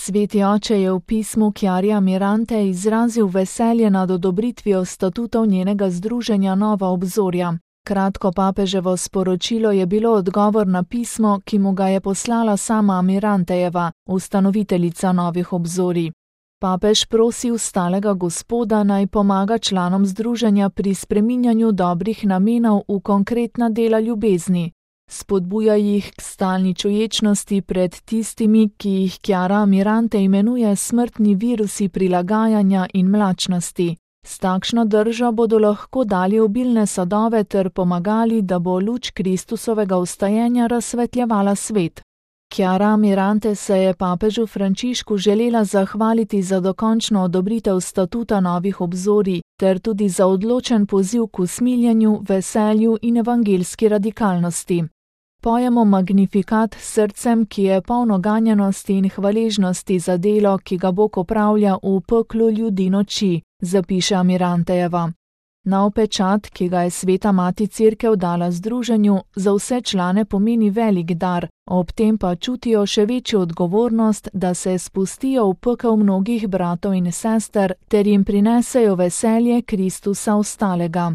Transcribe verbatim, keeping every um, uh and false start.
Sveti oče je v pismu Chiari Amirante izrazil veselje nad odobritvijo statutov njenega združenja Nova obzorja. Kratko papeževo sporočilo je bilo odgovor na pismo, ki mu ga je poslala sama Amirantejeva, ustanoviteljica Novih obzorij. Papež prosi vstalega Gospoda naj pomaga članom združenja pri spreminjanju dobrih namenov v konkretna dela ljubezni. Spodbuja jih k stalni čuječnosti pred tistimi, ki jih Chiara Amirante imenuje smrtni virusi prilagajanja in mlačnosti. S takšno držo bodo lahko dali obilne sadove ter pomagali, da bo luč Kristusovega vstajenja razsvetljevala svet. Chiara Amirante se je papežu Frančišku želela zahvaliti za dokončno odobritev statuta Novih obzorij ter tudi za odločen poziv k usmiljenju, veselju in evangeljski radikalnosti. Pojemo Magnifikat s srcem, ki je polno ganjenosti in hvaležnosti za delo, ki ga Bog opravlja v peklu ljudi noči, zapiše Amirantejeva. Nov pečat, ki ga je Sveta Mati Cerkev dala združenju, za vse člane pomeni velik dar, ob tem pa čutijo še večjo odgovornost, da se spustijo v pekel mnogih bratov in sester ter jim prinesejo veselje Kristusa vstalega.